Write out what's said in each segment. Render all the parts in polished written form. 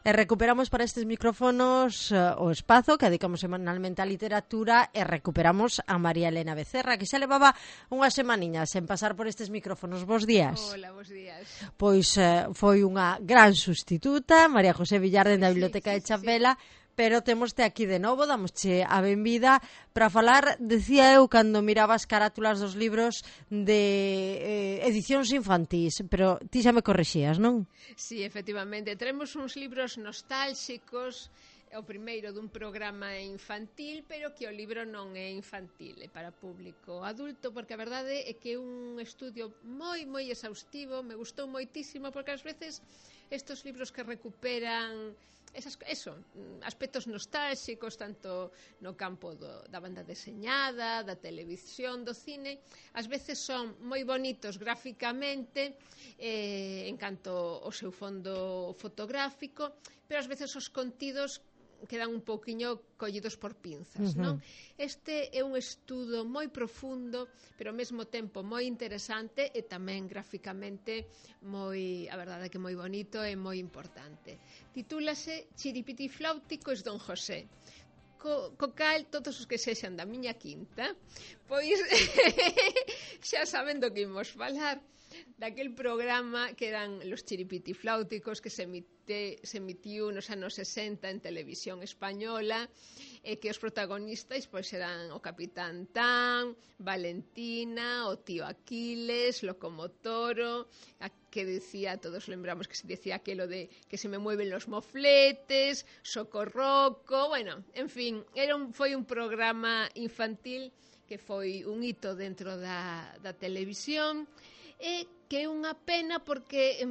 E recuperamos para estes micrófonos o espazo que dedicamos semanalmente á literatura e recuperamos a María Elena Becerra, que xa levaba unhas semaniñas sen pasar por estes micrófonos. Bos días. Hola, bos días. Pois foi unha gran sustituta, María José Villarden da Biblioteca de Chapela, pero témoste aquí de novo, damosche a benvida para falar, decía eu, cando miraba as carátulas dos libros de edicións infantís, pero ti xa me corrixías, non? Sí, efectivamente, teremos uns libros nostálxicos, o primeiro dun programa infantil, pero que o libro non é infantil, é para público adulto, porque a verdade é que é un estudio moi exhaustivo, me gustou moitísimo, porque ás veces estos libros que recuperan aspectos nostálxicos, tanto no campo da banda deseñada, da televisión, do cine, ás veces son moi bonitos gráficamente, en canto ao seu fondo fotográfico, pero ás veces os contidos quedan un pouquiño collidos por pinzas, non? Este é un estudo moi profundo, pero ao mesmo tempo moi interesante e tamén graficamente moi, a verdade é que moi bonito e moi importante. Titúlase Chiripitifláuticos Don José. Co cal todos os que sexan da miña quinta, pois xa saben do que imos falar, daquel programa que eran Los Chiripitifláuticos, que se emitiu nos anos 60 en televisión española, e que os protagonistas pois eran o Capitán Tan, Valentina, o tío Aquiles, Locomotoro, que decía, todos lembramos que se decía aquelo de que se me mueven los mofletes, Socorroco, bueno, en fin, foi un programa infantil que foi un hito dentro da televisión, e que é unha pena porque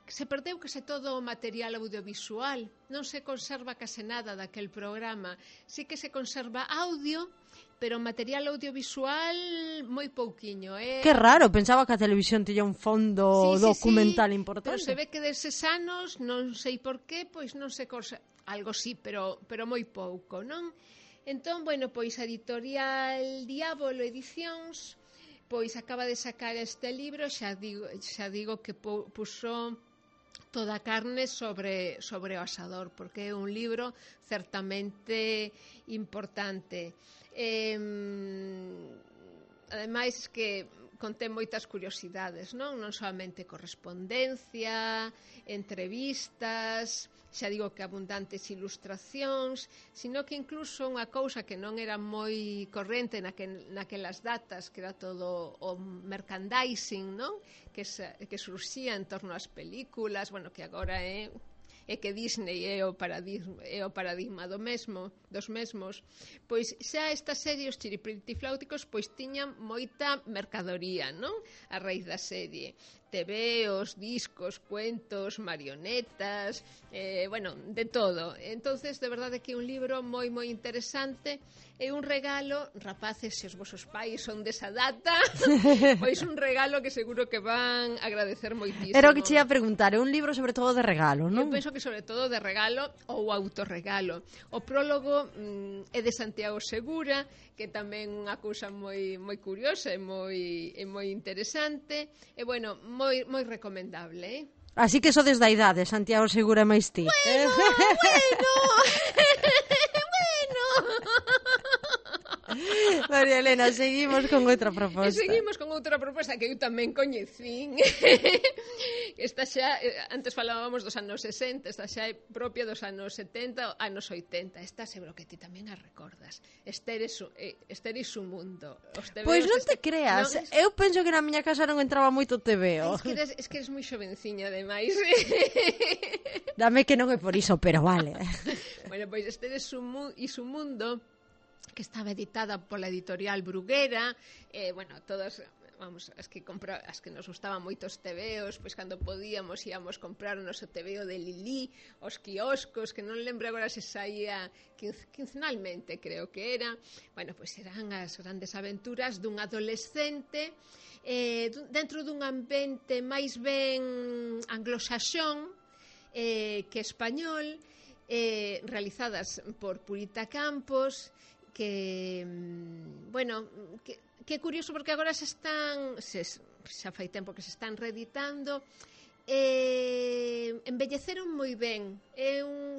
se perdeu case todo o material audiovisual, non se conserva case nada daquel programa, sí que se conserva audio, pero material audiovisual moi pouquiño. Que raro, pensaba que a televisión tiña un fondo documental importante. Pero se ve que deses anos, non sei por qué, pois non se conserva, algo sí, pero moi pouco, non? Entón, bueno, pois a editorial Diabolo Edicións pois acaba de sacar este libro, xa digo que puxo toda a carne sobre o asador, porque é un libro certamente importante. Ademais que contén moitas curiosidades, non solamente correspondencia, entrevistas, xa digo que abundantes ilustracións, sino que incluso unha cousa que non era moi corrente naquelas datas, que era todo o merchandising, non? Que surxía en torno ás películas, bueno, que agora é que Disney é o paradigma dos mesmos, pois xa esta serie, os Chiripitifláuticos, pois tiñan moita mercadoría, non? A raíz da serie. TVOs, discos, cuentos, marionetas, bueno, de todo. Entonces, de verdade que é un libro moi interesante, é un regalo, rapaces, se os vosos pais son desa data, pois un regalo que seguro que van agradecer moitísimo. Era o que che ia preguntar, é un libro sobre todo de regalo, non? Eu penso que sobre todo de regalo ou autorregalo. O prólogo é de Santiago Segura, que tamén unha cousa moi curiosa e moi interesante, e bueno, moi recomendable, Así que sodes da idade, Santiago Segura máis ti. Bueno. María Elena, seguimos con outra proposta. Seguimos con outra proposta que eu tamén coñecín. Esta xa, antes falábamos dos anos 60, esta xa é propia dos anos 70, anos 80. Esta seguro que ti tamén a recordas. Esther e su mundo. Pois non te creas, non, eu penso que na miña casa non entraba moito TVO. Es que eres moi xovenciña, ademais. Dame que non é por iso, pero vale. Bueno, pois Esther e su mundo, que estaba editada pola editorial Bruguera, bueno, todas, vamos, as que nos gustaban moitos TVOs, pois cando podíamos íamos comprar o noso TVO de Lili, os quioscos, que non lembro agora se saía quincenalmente, creo que era. Bueno, pois eran as grandes aventuras dun adolescente dentro dun ambiente máis ben anglosaxón que español, realizadas por Purita Campos, que, bueno, que é curioso porque agora xa fai tempo que se están reeditando, embelleceron moi ben.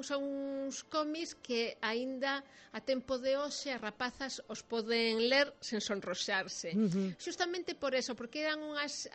Son uns cómics que aínda a tempo de hoxe as rapazas os poden ler sen sonroxarse. Justamente por eso, porque eran unhas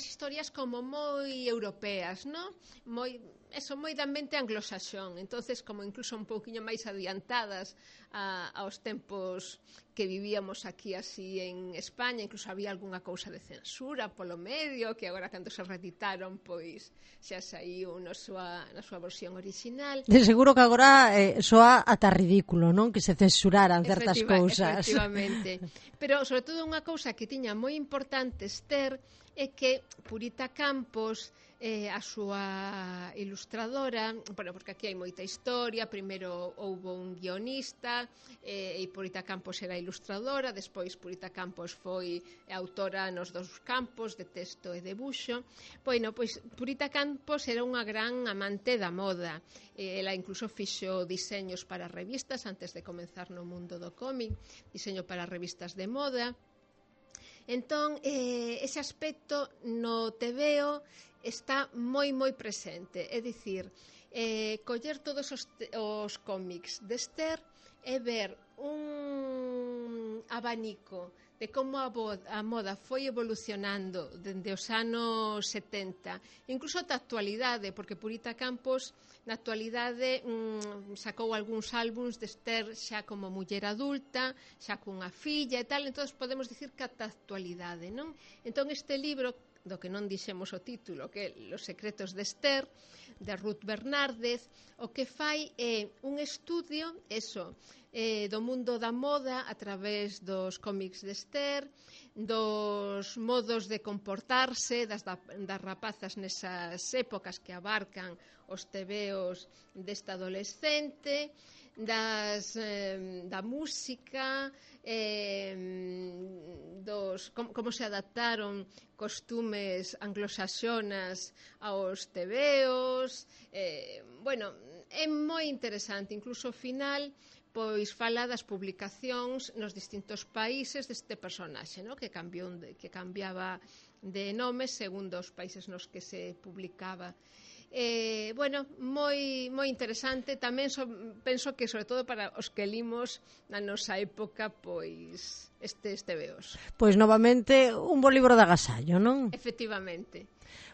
historias como moi europeas, non? Moi de ambiente anglosaxón, entonces como incluso un pouquiño máis adiantadas aos tempos que vivíamos aquí así en España. Incluso había algunha cousa de censura polo medio, que agora cando se reeditaron pois xa saiu na súa versión original. De seguro que agora soa ata ridículo, non? Que se censuraran certas cousas. Efectivamente. Pero sobre todo unha cousa que tiña moi importante Esther é que Purita Campos, a súa ilustradora, bueno, porque aquí hai moita historia. Primeiro houbo un guionista e Purita Campos era ilustradora, despois Purita Campos foi autora nos dous campos de texto e debuxo. Bueno, pois Purita Campos era unha gran amante da moda. Ela incluso fixo diseños para revistas antes de comenzar no mundo do cómic, diseño para revistas de moda. Entón, ese aspecto no tebeo está moi presente, é dicir, coller todos os cómics de Esther e ver un abanico de como a moda foi evolucionando dende os anos 70, incluso ata a actualidade, porque Purita Campos na actualidade sacou algúns álbums de Esther xa como muller adulta, xa cunha filla e tal, entón podemos dicir que ata a actualidade, non? Entón este libro, do que non dixemos o título, que é Los secretos de Esther, de Ruth Bernárdez, o que fai é un estudio do mundo da moda a través dos cómics de Esther, dos modos de comportarse das rapazas nesas épocas que abarcan os tebeos desta adolescente, da música, como se adaptaron costumes anglosaxonas aos tebeos. Bueno, é moi interesante, incluso ao final pois fala das publicacións nos distintos países deste personaxe, no? que cambiaba de nome segundo os países nos que se publicaba. Bueno, moi interesante. Tamén penso que sobre todo para os que limos na nosa época pois estes tebeos. Pois novamente un bo libro de agasallo, non? Efectivamente.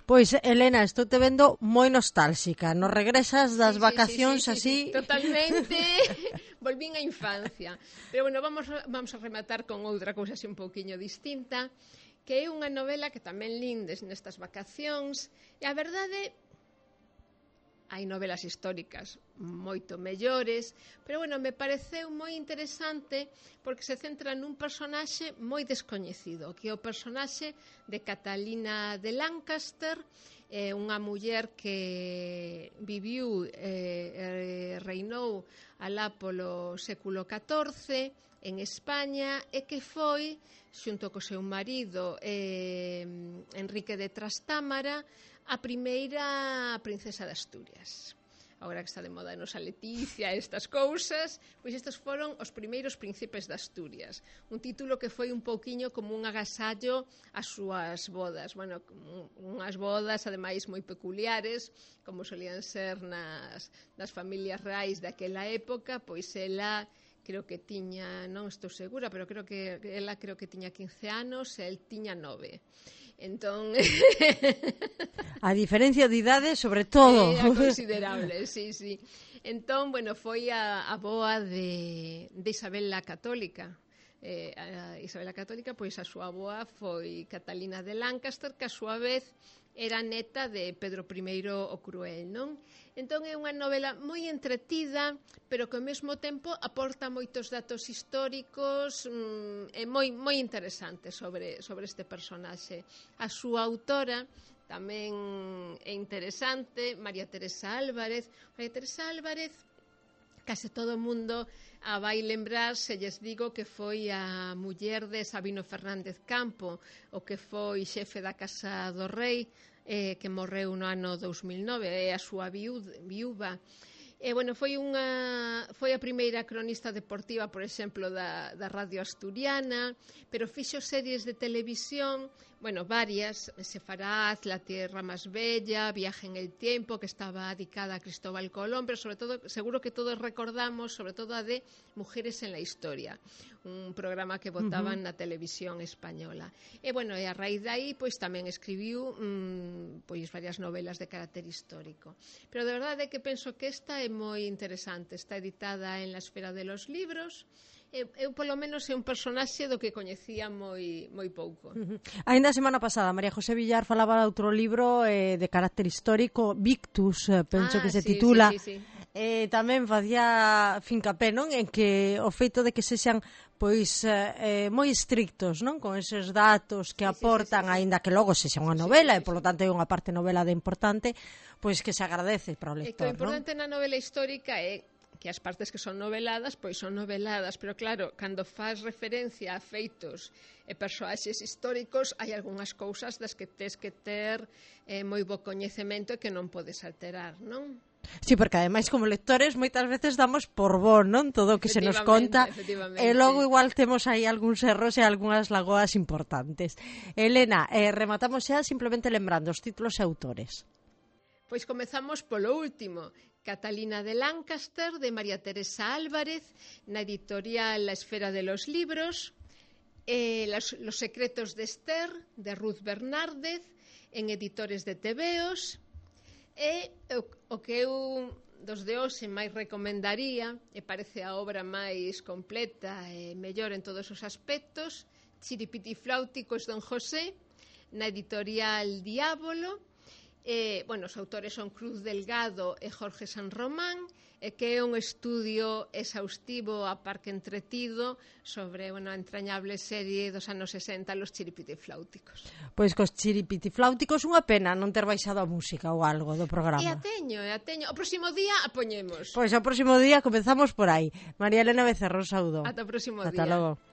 Pois, Elena, estou te vendo moi nostálxica. Nos regresas das vacacións así... Sí, totalmente. Volvín á infancia. Pero bueno, vamos a rematar con outra cousa así un pouquiño distinta, que é unha novela que tamén lindes nestas vacacións. E a verdade, hai novelas históricas moito mellores, pero bueno, me pareceu moi interesante porque se centra nun personaxe moi descoñecido, que é o personaxe de Catalina de Lancaster, unha muller que viviu reinou alá polo século XIV en España e que foi, xunto co seu marido Enrique de Trastámara, a primeira princesa de Asturias. Agora que está de moda a nosa Leticia, estas cousas, pois estes foron os primeiros príncipes de Asturias. Un título que foi un pouquiño como un agasallo ás súas bodas. Bueno, unhas bodas, ademais, moi peculiares, como solían ser nas familias reais daquela época, pois ela creo que tiña, non estou segura, pero creo que tiña 15 anos e el tiña 9. Entón... A diferencia de idade, sobre todo. É considerable, sí. Entón, bueno, foi a boa de Isabel la Católica. A Isabel la Católica, pois a súa boa foi Catalina de Lancaster, que a súa vez era neta de Pedro I o Cruel, non? Entón é unha novela moi entretida, pero que ao mesmo tempo aporta moitos datos históricos e moi interesante sobre este personaxe. A súa autora tamén é interesante, María Teresa Álvarez. María Teresa Álvarez, case todo o mundo a vai lembrar se lles digo que foi a muller de Sabino Fernández Campo, o que foi xefe da Casa do Rei, que morreu no ano 2009, é a súa viúva. Bueno, foi a primeira cronista deportiva, por exemplo, da Radio Asturiana, pero fixo series de televisión Bueno, varias. Sefaraz, La tierra más bella, Viaje en el tiempo, que estaba dedicada a Cristóbal Colón, pero sobre todo, seguro que todos recordamos, sobre todo a de Mujeres en la historia, un programa que botaban na televisión española. E, bueno, e a raíz de aí, pois tamén escribiu pois varias novelas de carácter histórico. Pero de verdade que penso que esta é moi interesante, está editada en La esfera de los libros. Eu polo menos é un personaxe do que coñecía moi pouco. Ainda a semana pasada María José Villar falaba de outro libro de carácter histórico, Victus, penso que se titula. Sí. Tamén facía fincapé, non, en que o feito de que sexan pois moi estrictos, non, con eses datos que aportan, aínda que logo sexa unha novela e polo tanto é unha parte novela de importante, pois que se agradece para o lector, non? E que o importante na novela histórica é que as partes que son noveladas, pois son noveladas, pero claro, cando faz referencia a feitos e persoaxes históricos, hai algunhas cousas das que tes que ter moi bo coñecemento e que non podes alterar, non? Sí, porque ademais como lectores moitas veces damos por bo, non? Todo o que se nos conta e logo igual temos aí algúns erros e algunhas lagoas importantes. Elena, rematamos xa simplemente lembrando os títulos e autores. Pois comezamos polo último, Catalina de Lancaster, de María Teresa Álvarez, na editorial La esfera de los libros, Los secretos de Esther, de Ruth Bernárdez, en Editores de Tebeos, e o que eu dos de hoxe máis recomendaría, e parece a obra máis completa e mellor en todos os aspectos, Chiripitifláuticos Don José, na editorial Diábolo. Bueno, os autores son Cruz Delgado e Jorge San Román, e que é un estudio exhaustivo a parque entretido sobre a entrañable serie dos anos 60, Los Chiripitifláuticos. Pois cos Chiripitifláuticos unha pena non ter baixado a música ou algo do programa. E a teño. O próximo día a poñemos. Pois o próximo día comezamos por aí. María Elena Becerro, saúdo. Ata o próximo día. Ata logo.